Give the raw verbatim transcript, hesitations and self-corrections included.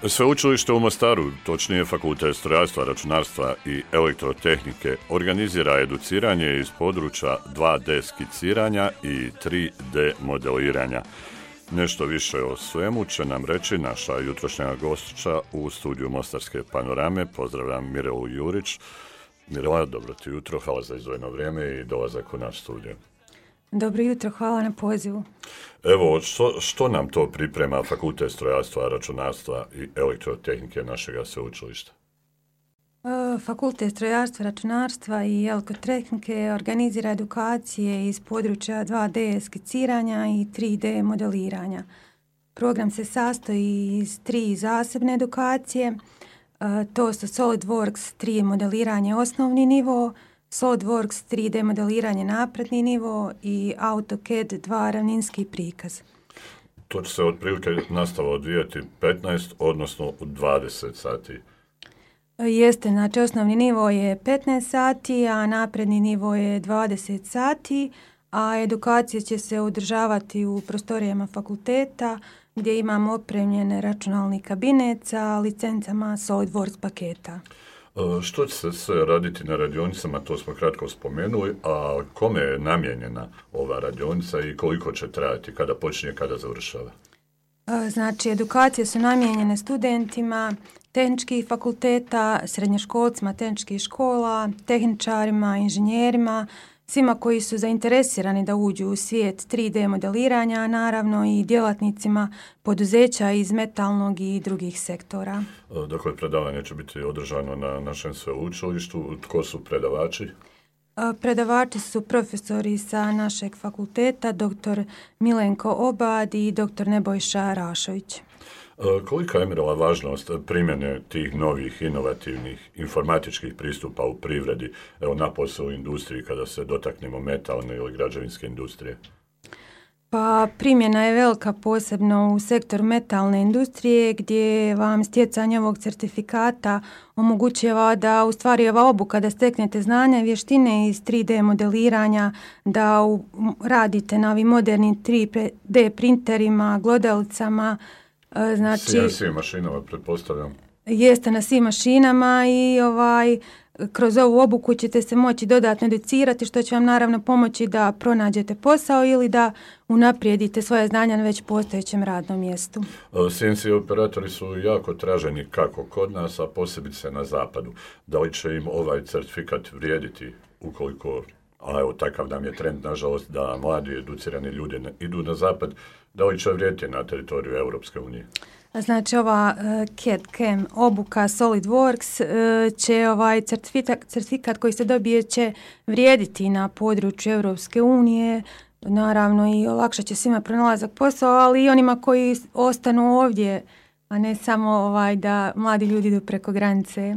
Sveučilište u Mostaru, točnije Fakultet strojarstva, računarstva i elektrotehnike, organizira educiranje iz područja dva de skiciranja i tri de modeliranja. Nešto više o svemu će nam reći naša jutrošnja gošća u studiju Mostarske panorame. Pozdravljam Mirelu Jurić. Mirela, dobro ti jutro, hvala za izdvojeno vrijeme i dolazak u naš studio. Dobro jutro, hvala na pozivu. Evo, što, što nam to priprema Fakultet strojarstva, računarstva i elektrotehnike našega sveučilišta? Fakultet strojarstva, računarstva i elektrotehnike organizira edukacije iz područja dva de skiciranja i tri de modeliranja. Program se sastoji iz tri zasebne edukacije. To su SolidWorks tri modeliranje osnovni nivo, SolidWorks tri de modeliranje napredni nivo i AutoCAD dva ravninski prikaz. To će se otprilike nastava odvijati petnaest, odnosno dvadeset sati. Jeste, znači osnovni nivo je petnaest sati, a napredni nivo je dvadeset sati, a edukacije će se održavati u prostorijama fakulteta gdje imamo opremljene računalni kabinet sa licencama SolidWorks paketa. Što će se sve raditi na radionicama, to smo kratko spomenuli, a kome je namijenjena ova radionica i koliko će trajati, kada počinje, kada završava? Znači, edukacije su namijenjene studentima tehničkih fakulteta, srednjoškolcima tehničkih škola, tehničarima, inženjerima, svima koji su zainteresirani da uđu u svijet tri de modeliranja, a naravno i djelatnicima poduzeća iz metalnog i drugih sektora. Dakle, predavanje će biti održano na našem sveučilištu. Tko su predavači? Predavači su profesori sa našeg fakulteta, doktor Milenko Obad i doktor Nebojša Rašović. Kolika je, Mirela, važnost primjene tih novih, inovativnih informatičkih pristupa u privredi, evo napose u industriji kada se dotaknemo metalne ili građevinske industrije? Pa primjena je velika, posebno u sektoru metalne industrije gdje vam stjecanje ovog certifikata omogućava da u stvari ova obuka da steknete znanja i vještine iz tri de modeliranja, da u, radite na ovim modernim tri de printerima, glodalicama. Znači, C N C mašinama, pretpostavljam. Jeste na svim mašinama i ovaj, kroz ovu obuku ćete se moći dodatno educirati, što će vam naravno pomoći da pronađete posao ili da unaprijedite svoje znanja na već postojećem radnom mjestu. C N C operatori su jako traženi kako kod nas, a posebice na zapadu. Da li će im ovaj certifikat vrijediti ukoliko, a evo takav nam je trend, nažalost, da mladi educirani ljudi idu na zapad, da li će vrijediti na teritoriju Europske unije? Znači ova uh, C A D C A M obuka SolidWorks uh, će ovaj certifikat, certifikat koji se dobije će vrijediti na području Europske unije, naravno i olakšat će svima pronalazak posao, ali i onima koji ostanu ovdje, a ne samo ovaj da mladi ljudi idu preko granice.